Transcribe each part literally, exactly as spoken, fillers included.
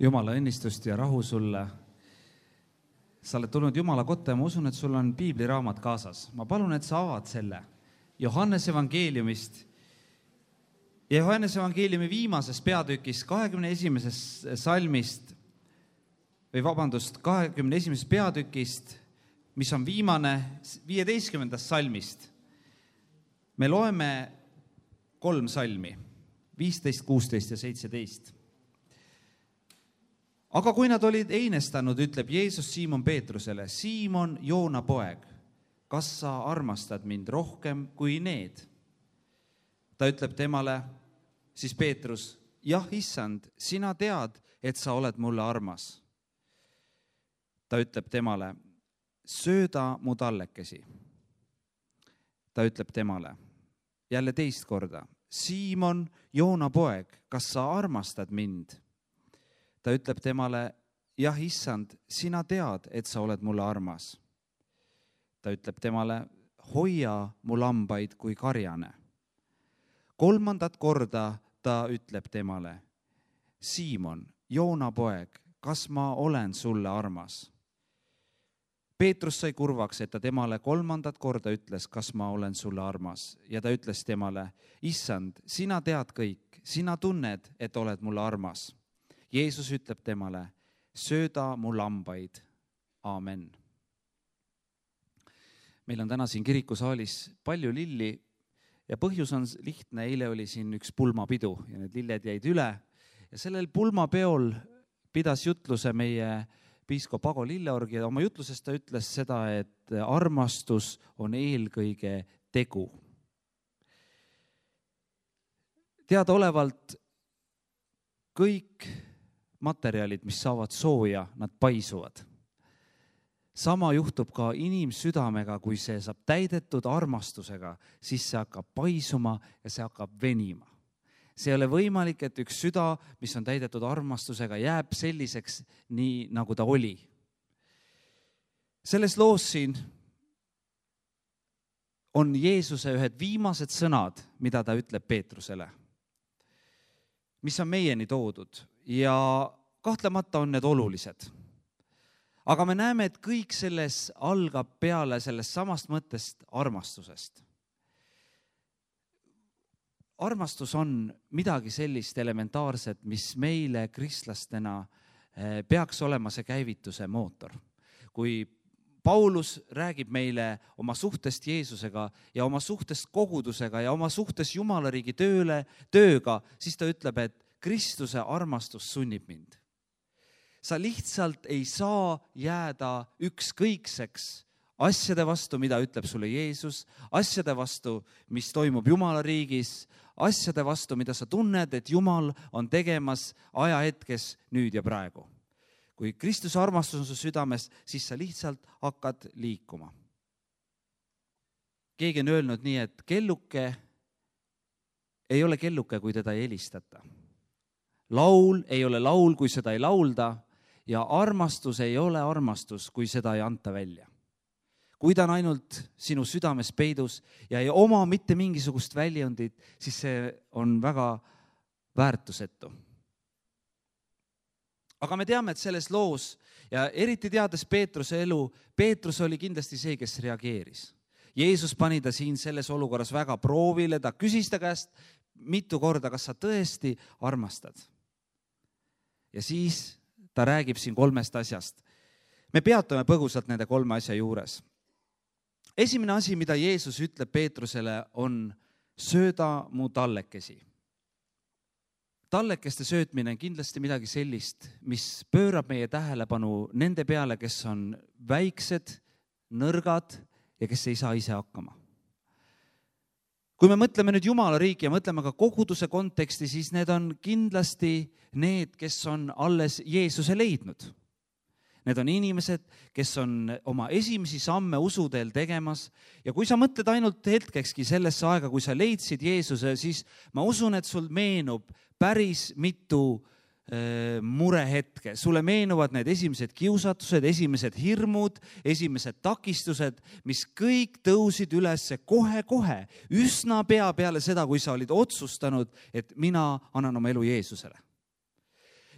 Jumala õnnistust ja rahu sulle. Sa oled tulnud Jumala kotta ja ma usun, et sul on piibliraamat kaasas. Ma palun, et sa avad selle Johannese evangeeliumist. Ja Johannese evangeeliumi viimasest peatükist, kahekümne esimesest salmist, või vabandust, kahekümne esimesest peatükist, mis on viimane viieteistkümnendast salmist. Me loeme kolm salmi, viisteist, kuusteist ja seitseteist. Aga kui nad olid einestanud, ütleb Jeesus Siimon Peetrusele, Siimon, Joona poeg, kas sa armastad mind rohkem kui need? Ta ütleb temale, siis Peetrus, jah, issand, sina tead, et sa oled mulle armas. Ta ütleb temale, sööda mu tallekesi. Ta ütleb temale, jälle teist korda, Siimon, Joona poeg, kas sa armastad mind? Ta ütleb temale, jah, issand, sina tead, et sa oled mulle armas. Ta ütleb temale, hoia mu lambaid kui karjane. Kolmandat korda ta ütleb temale, Siimon, Joona poeg, kas ma olen sulle armas? Peetrus sai kurvaks, et ta temale kolmandat korda ütles, kas ma olen sulle armas. Ja ta ütles temale, issand, sina tead kõik, sina tunned, et oled mulle armas. Jeesus ütleb temale, sööda mu lambaid. Aamen. Meil on täna siin kirikusaalis palju lilli ja põhjus on lihtne. Eile oli siin üks pulmapidu ja need lilled jäid üle. Ja sellel pulmapeol pidas jutluse meie piiskop Ago Lilleorg ja oma jutlusest ta ütles seda, et armastus on eelkõige tegu. Teadaolevalt kõik materjalid, mis saavad sooja, nad paisuvad. Sama juhtub ka inimsüdamega, kui see saab täidetud armastusega, siis see hakkab paisuma ja see hakkab venima. See ei ole võimalik, et üks süda, mis on täidetud armastusega, jääb selliseks nii, nagu ta oli. Selles loos siin on Jeesuse ühed viimased sõnad, mida ta ütleb Peetrusele, mis on meieni toodud. Ja kahtlemata on need olulised. Aga me näeme, et kõik selles algab peale sellest samast mõttest armastusest. Armastus on midagi sellist elementaarset, mis meile kristlastena peaks olema see käivituse mootor. Kui Paulus räägib meile oma suhtest Jeesusega ja oma suhtest kogudusega ja oma suhtest Jumalariigi tööle, tööga, siis ta ütleb, et Kristuse armastus sunnib mind. Sa lihtsalt ei saa jääda ükskõikseks asjade vastu, mida ütleb sulle Jeesus, asjade vastu, mis toimub Jumala riigis, asjade vastu, mida sa tunned, et Jumal on tegemas ajahetkes nüüd ja praegu. Kui Kristuse armastus on su südames, siis sa lihtsalt hakkad liikuma. Keegi on öelnud nii, et kelluke ei ole kelluke, kui teda ei helistata. Laul ei ole laul, kui seda ei laulda ja armastus ei ole armastus, kui seda ei anta välja. Kui ta on ainult sinu südames peidus ja ei oma mitte mingisugust väljundit, siis see on väga väärtusetu. Aga me teame, et selles loos ja eriti teades Peetruse elu, Peetrus oli kindlasti see, kes reageeris. Jeesus pani ta siin selles olukorras väga proovile, ta küsis ta käest mitu korda, kas sa tõesti armastad. Ja siis ta räägib siin kolmest asjast. Me peatume põgusalt nende kolme asja juures. Esimene asi, mida Jeesus ütleb Peetrusele, on sööda mu tallekesi. Tallekeste söötmine on kindlasti midagi sellist, mis pöörab meie tähelepanu nende peale, kes on väiksed, nõrgad ja kes ei saa ise hakkama. Kui me mõtleme nüüd Jumala riiki ja mõtleme ka koguduse konteksti, siis need on kindlasti need, kes on alles Jeesuse leidnud. Need on inimesed, kes on oma esimesi samme usuteel tegemas ja kui sa mõtled ainult hetkekski sellesse aega, kui sa leidsid Jeesuse, siis ma usun, et sul meenub päris mitu murehetke. Sulle meenuvad need esimesed kiusatused, esimesed hirmud, esimesed takistused, mis kõik tõusid üles kohe-kohe, üsna pea peale seda, kui sa olid otsustanud, et mina annan oma elu Jeesusele.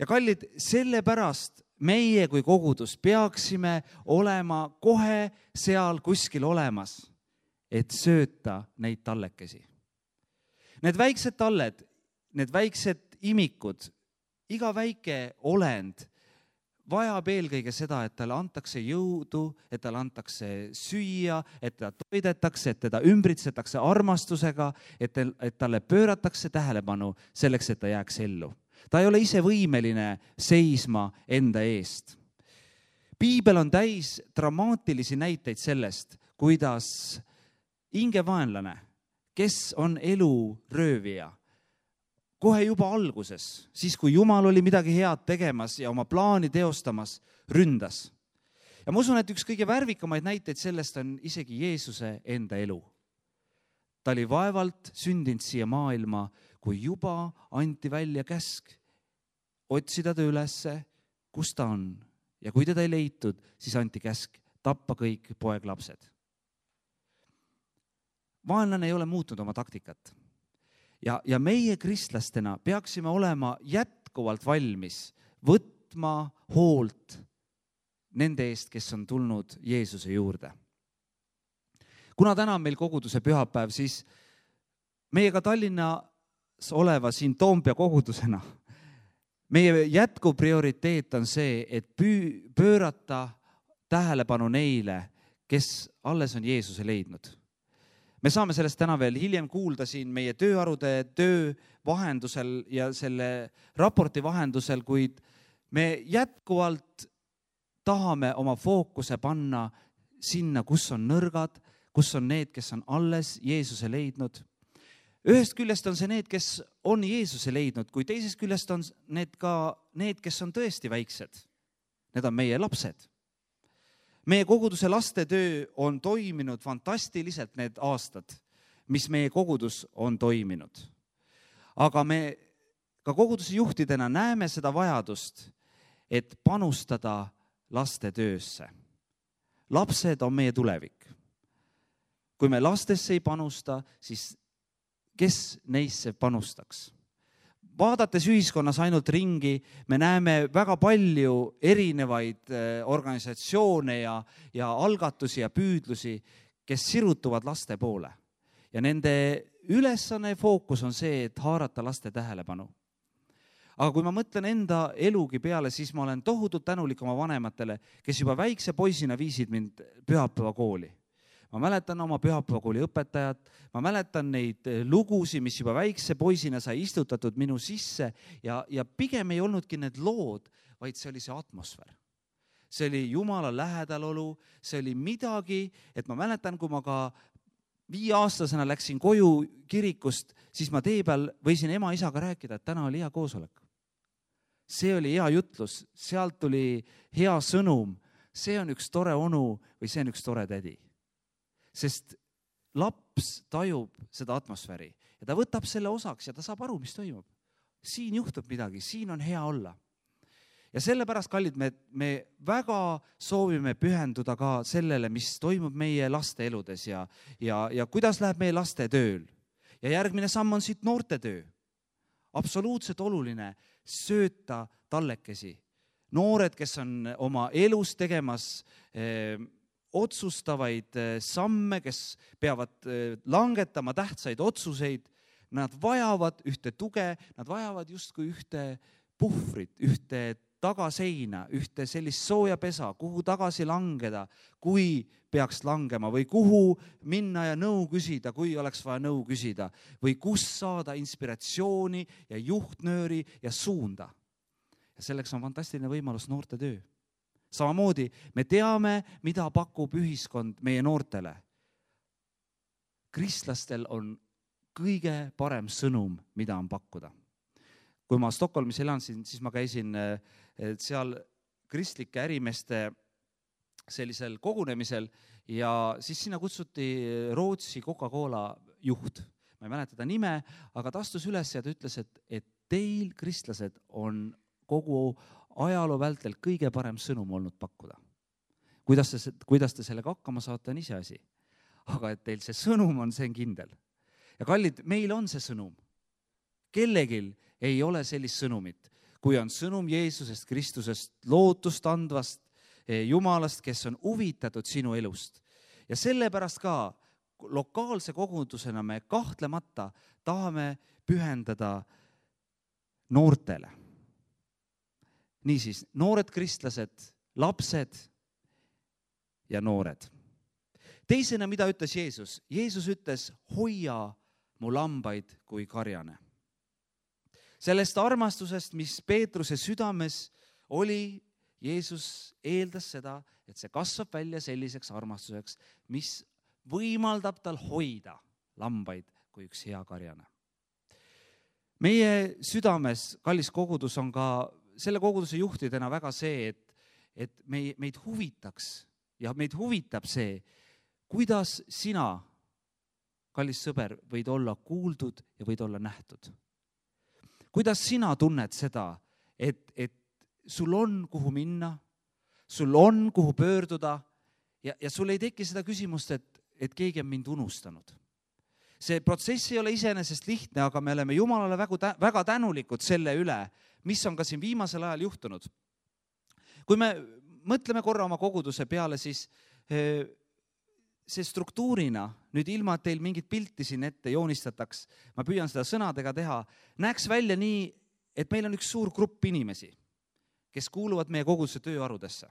ja kallid, sellepärast meie kui kogudus peaksime olema kohe seal kuskil olemas, et sööta neid tallekesi. Need väiksed talled, need väiksed imikud, iga väike olend vajab eelkõige seda, et talle antakse jõudu, et talle antakse süüa, et ta toidetakse, et teda ümbritsetakse armastusega, et, et talle pööratakse tähelepanu selleks, et ta jääks ellu. Ta ei ole ise võimeline seisma enda eest. Piibel on täis dramaatilisi näiteid sellest, kuidas hingevaenlane, kes on elu röövija, kohe juba alguses, siis kui Jumal oli midagi head tegemas ja oma plaani teostamas, ründas. Ja ma usun, et üks kõige värvikamaid näiteid sellest on isegi Jeesuse enda elu. Ta oli vaevalt sündinud siia maailma, kui juba anti välja käsk otsida ta ülesse, kus ta on. Ja kui teda ei leitud, siis anti käsk tappa kõik poeglapsed. Vaenlane ei ole muutnud oma taktikat. Ja, ja meie kristlastena peaksime olema jätkuvalt valmis võtma hoolt nende eest, kes on tulnud Jeesuse juurde. Kuna täna on meil koguduse pühapäev, siis meiega Tallinnas oleva siin Toompea kogudusena meie jätkuv prioriteet on see, et pöörata tähelepanu neile, kes alles on Jeesuse leidnud. Me saame sellest täna veel hiljem kuulda siin meie tööarude töö vahendusel ja selle raporti vahendusel, kuid me jätkuvalt tahame oma fookuse panna sinna, kus on nõrgad, kus on need, kes on alles Jeesuse leidnud. Ühest küljest on see need, kes on Jeesuse leidnud, kui teisest küljest on need ka need, kes on tõesti väiksed. Need on meie lapsed. Meie koguduse lastetöö on toiminud fantastiliselt need aastad, mis meie kogudus on toiminud. Aga me ka koguduse juhtidena näeme seda vajadust, et panustada lastetöösse. Lapsed on meie tulevik. Kui me lastesse ei panusta, siis kes neisse panustaks? Vaadates ühiskonnas ainult ringi, me näeme väga palju erinevaid organisatsioone ja, ja algatusi ja püüdlusi, kes sirutuvad laste poole. Ja nende ülesanne fookus on see, et haarata laste tähelepanu. Aga kui ma mõtlen enda elugi peale, siis ma olen tohutult tänulik oma vanematele, kes juba väikse poisina viisid mind pühapäeva kooli. Ma mäletan oma pühapäevakooli õpetajat, ma mäletan neid lugusi, mis juba väikse poisina sai istutatud minu sisse ja, ja pigem ei olnudki need lood, vaid see oli see atmosfäär. See oli Jumala lähedalolu, see oli midagi, et ma mäletan, kui ma ka viieaastasena läksin koju kirikust, siis ma tee peal võisin ema isaga rääkida, et täna oli hea koosolek. See oli hea jutlus, sealt tuli hea sõnum, see on üks tore onu või see on üks tore tädi. Sest laps tajub seda atmosfääri ja ta võtab selle osaks ja ta saab aru, mis toimub. Siin juhtub midagi, siin on hea olla. Ja sellepärast, kallid, me, me väga soovime pühenduda ka sellele, mis toimub meie laste eludes ja, ja, ja kuidas läheb meie laste tööl. Ja järgmine samm on siit noorte töö. Absoluutselt oluline sööta tallekesi. Noored, kes on oma elus tegemas eh, otsustavaid samme, kes peavad langetama tähtsaid otsuseid, nad vajavad ühte tuge, nad vajavad justkui ühte puhvrit, ühte tagaseina, ühte sellist sooja pesa, kuhu tagasi langeda, kui peaks langema või kuhu minna ja nõu küsida, kui oleks vaja nõu küsida või kus saada inspiratsiooni ja juhtnööri ja suunda. Ja selleks on fantastiline võimalus noorte töö. Samamoodi me teame, mida pakub ühiskond meie noortele. Kristlastel on kõige parem sõnum, mida on pakkuda. Kui ma Stockholmis elansin, siis ma käisin seal kristlike ärimeeste sellisel kogunemisel ja siis sinna kutsuti Rootsi Coca-Cola juht. Ma ei mäleta ta nime, aga ta astus üles ja ta ütles, et, et teil, kristlased, on kogu ajaloo vältel kõige parem sõnum olnud pakkuda. Kuidas te, kuidas te sellega hakkama saate, on ise asi. Aga et teil see sõnum on, see on kindel. Ja kallid, meil on see sõnum. Kellegil ei ole sellist sõnumit. kui on sõnum Jeesusest Kristusest, lootust andvast Jumalast, kes on huvitatud sinu elust. Ja sellepärast ka lokaalse kogudusena me kahtlemata tahame pühendada noortele. Niisiis, noored kristlased, lapsed ja noored. Teisena, mida ütles Jeesus? Jeesus ütles, hoia mu lambaid kui karjane. Sellest armastusest, mis Peetruse südames oli, Jeesus eeldas seda, et see kasvab välja selliseks armastuseks, mis võimaldab tal hoida lambaid kui üks hea karjane. Meie südames, kallis kogudus, on ka selle koguduse juhtidena väga see, et, et meid huvitaks ja meid huvitab see, kuidas sina, kallis sõber, võid olla kuuldud ja võid olla nähtud. Kuidas sina tunned seda, et, et sul on kuhu minna, sul on kuhu pöörduda ja, ja sul ei teki seda küsimust, et, et keegi on mind unustanud. See protsess ei ole iseenesest lihtne, aga me oleme Jumalale väga, väga tänulikud selle üle, mis on ka siin viimasel ajal juhtunud. Kui me mõtleme korra oma koguduse peale, siis see struktuurina, nüüd ilma, et teil mingit pilti siin ette joonistataks, ma püüan seda sõnadega teha, näeks välja nii, et meil on üks suur grupp inimesi, kes kuuluvad meie koguduse tööarudesse.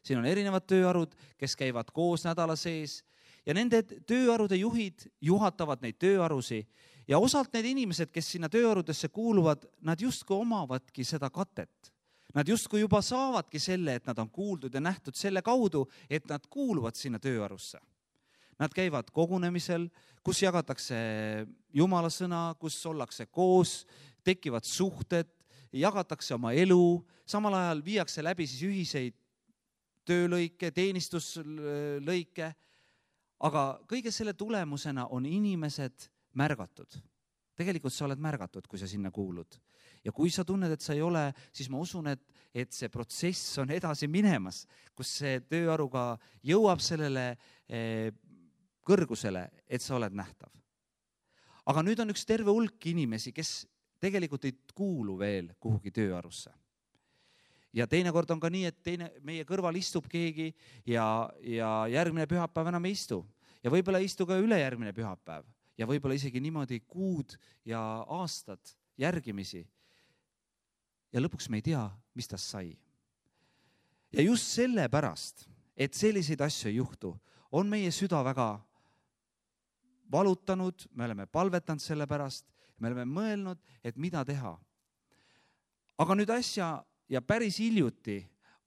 Siin on erinevad tööarud, kes käivad koos nädala sees ja nende tööarude juhid juhatavad neid tööarusi ja osalt need inimesed, kes sinna tööarudesse kuuluvad, nad justkui omavadki seda katet. Nad justkui juba saavadki selle, et nad on kuuldud ja nähtud selle kaudu, et nad kuuluvad sinna tööarusse. Nad käivad kogunemisel, kus jagatakse Jumala sõna, kus ollakse koos, tekivad suhted, jagatakse oma elu, samal ajal viiakse läbi siis ühiseid töölõike, teenistuslõike, aga kõige selle tulemusena on inimesed märgatud. Tegelikult sa oled märgatud, kui sa sinna kuulud. Ja kui sa tunned, et sa ei ole, siis ma usun, et, et see protsess on edasi minemas, kus see tööaruga jõuab sellele eh, kõrgusele, et sa oled nähtav. Aga nüüd on üks terve hulk inimesi, kes tegelikult ei kuulu veel kuhugi tööarusse. Ja teinekord on ka nii, et teine, meie kõrval istub keegi ja, ja järgmine pühapäev enam ei istu. Ja võib-olla ei istu ka ülejärgmine pühapäev. Ja võib-olla isegi niimoodi kuud ja aastad järgimisi. Ja lõpuks me ei tea, mis tast sai. Ja just selle pärast, et selliseid asju ei juhtu, on meie süda väga valutanud, me oleme palvetanud selle pärast, me oleme mõelnud, et mida teha. Aga nüüd asja ja päris hiljuti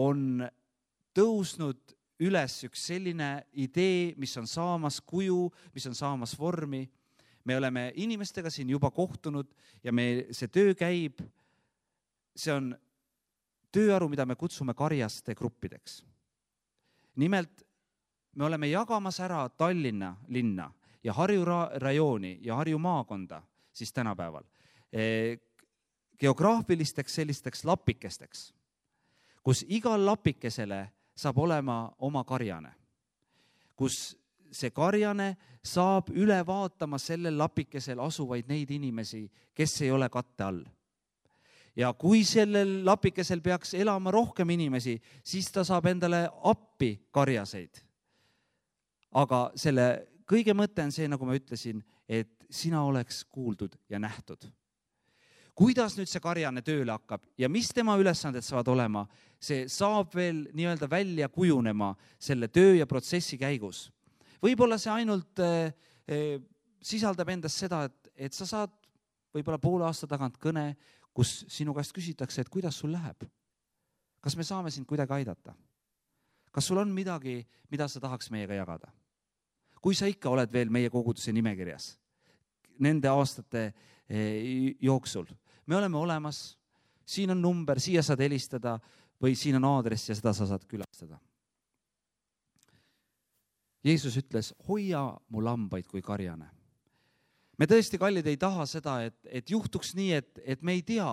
on tõusnud üles üks selline idee, mis on saamas kuju, mis on saamas vormi. Me oleme inimestega siin juba kohtunud ja me, see töö käib. See on tööaru, mida me kutsume karjaste gruppideks. Nimelt, me oleme jagamas ära Tallinna linna ja Harju rajooni ja Harju maakonda siis tänapäeval geograafilisteks sellisteks lapikesteks, kus igal lapikesele saab olema oma karjane, kus see karjane saab üle vaatama sellel lapikesel asuvaid neid inimesi, kes ei ole katte all. Ja kui sellel lapikesel peaks elama rohkem inimesi, siis ta saab endale appi karjaseid. Aga selle kõige mõte on see, nagu ma ütlesin, et sina oleks kuuldud ja nähtud. Kuidas nüüd see karjane tööle hakkab ja mis tema ülesanded saavad olema, see saab veel nii-öelda välja kujunema selle töö ja protsessi käigus. Võib-olla see ainult eh, sisaldab endas seda, et, et sa saad võib-olla poole aasta tagant kõne, kus sinu käest küsitakse, et kuidas sul läheb. Kas me saame sind kuidagi aidata? Kas sul on midagi, mida sa tahaks meiega jagada? Kui sa ikka oled veel meie koguduse nimekirjas nende aastate eh, jooksul, me oleme olemas, siin on number, siia saad helistada või siin on aadress ja seda sa saad külastada. Jeesus ütles, hoia mu lambaid kui karjane. Me tõesti, kallid, ei taha seda, et, et juhtuks nii, et, et me ei tea,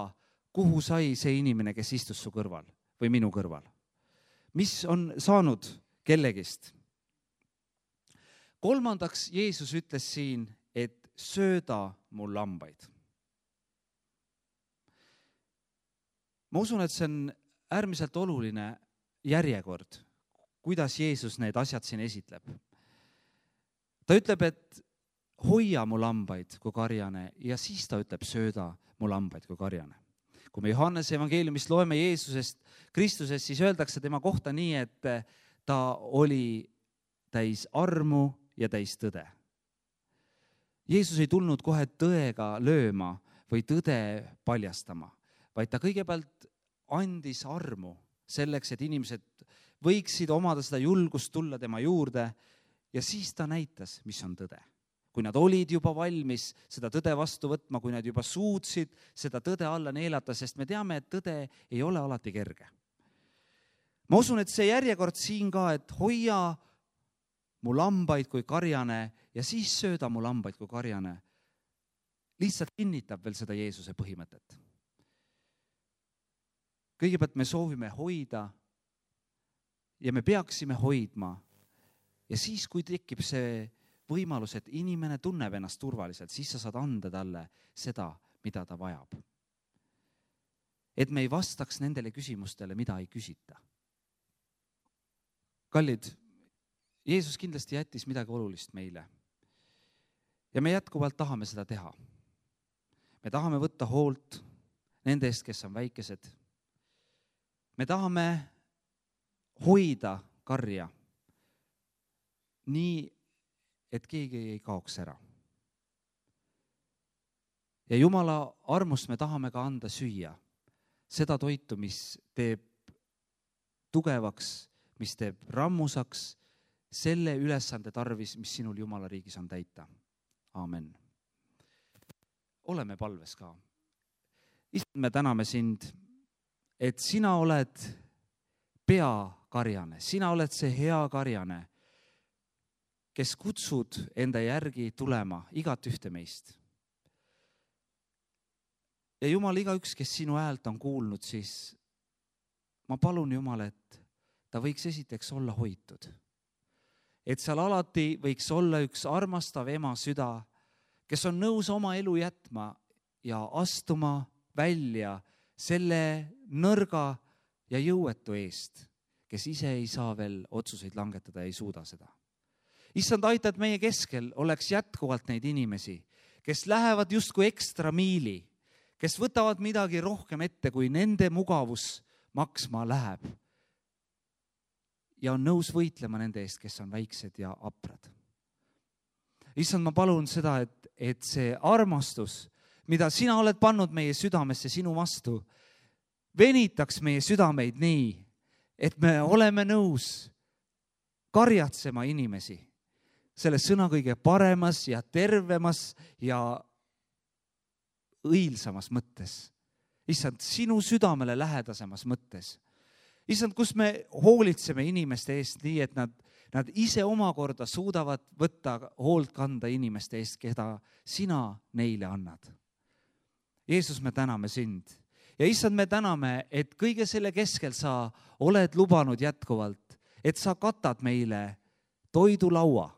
kuhu sai see inimene, kes istus su kõrval või minu kõrval. Mis on saanud kellegist? Kolmandaks, Jeesus ütles siin, et sööda mu lambaid. ma usun, et see on äärmiselt oluline järjekord, kuidas Jeesus need asjad siin esitleb. Ta ütleb, et hoia mu lambaid kui karjane ja siis ta ütleb, sööda mu lambaid kui karjane. Kui me Johannese evangeeliumist loeme Jeesusest, Kristusest, siis öeldakse tema kohta nii, et ta oli täis armu ja täis tõde. Jeesus ei tulnud kohe tõega lööma või tõde paljastama, vaid ta kõigepealt andis armu selleks, et inimesed võiksid omada seda julgust tulla tema juurde ja siis ta näitas, mis on tõde. Kui nad olid juba valmis seda tõde vastu võtma, kui nad juba suutsid seda tõde alla neelata, sest me teame, et tõde ei ole alati kerge. Ma usun, et see järjekord siin ka, et hoia mu lambaid kui karjane ja siis sööda mu lambaid kui karjane, lihtsalt kinnitab veel seda Jeesuse põhimõtet. Kõigepealt me soovime hoida ja me peaksime hoidma ja siis, kui tekib see võimalus, et inimene tunneb ennast turvaliselt, siis sa saad anda talle seda, mida ta vajab. Et me ei vastaks nendele küsimustele, mida ei küsita. Kallid, Jeesus kindlasti jättis midagi olulist meile. Ja me jätkuvalt tahame seda teha. Me tahame võtta hoolt nende eest, kes on väikesed. Me tahame hoida karja nii, et keegi ei kaoks ära. Ja Jumala armust me tahame ka anda süüa. Seda toitu, mis teeb tugevaks, mis teeb rammusaks, selle ülesande tarvis, mis sinul Jumala riigis on täita. Aamen. Oleme palves ka. Issand, me täname sind, et sina oled peakarjane, sina oled see hea karjane, kes kutsud enda järgi tulema igat ühte meist. Ja Jumal, iga üks, kes sinu häält on kuulnud, siis ma palun Jumal, et ta võiks esiteks olla hoitud. Et seal alati võiks olla üks armastav ema süda, kes on nõus oma elu jätma ja astuma välja selle nõrga ja jõuetu eest, kes ise ei saa veel otsuseid langetada ja ei suuda seda. Issand, aita, et meie keskel oleks jätkuvalt neid inimesi, kes lähevad justkui ekstra miili, kes võtavad midagi rohkem ette, kui nende mugavus maksma läheb ja on nõus võitlema nende eest, kes on väiksed ja aprad. Issand, ma palun seda, et, et see armastus, mida sina oled pannud meie südamesse sinu vastu, venitaks meie südameid nii, et me oleme nõus karjatsema inimesi selles sõna kõige paremas ja tervemas ja õilsamas mõttes. Issand, sinu südamele lähedasemas mõttes. Issand, kus me hoolitseme inimeste eest nii, et nad, nad ise omakorda suudavad võtta hoolt kanda inimeste eest, keda sina neile annad. Jeesus, me täname sind. Ja issand, me täname, et kõige selle keskel sa oled lubanud jätkuvalt, et sa katad meile toidulaua,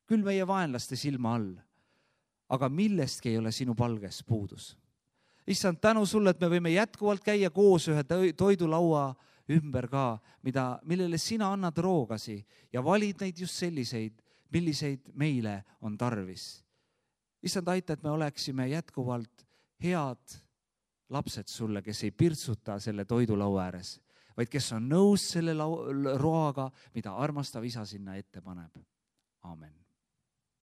küll meie vaenlaste silma all, aga millestki ei ole sinu palges puudus. Issand, tänu sulle, et me võime jätkuvalt käia koos ühe toidulaua ümber ka, mida, millele sina annad roogasi ja valid neid just selliseid, milliseid meile on tarvis. Issand, aita, et me oleksime jätkuvalt head lapsed sulle, kes ei pirtsuta selle toidulaua ääres, vaid kes on nõus selle roaga, mida armastav isa sinna ette paneb. Aamen.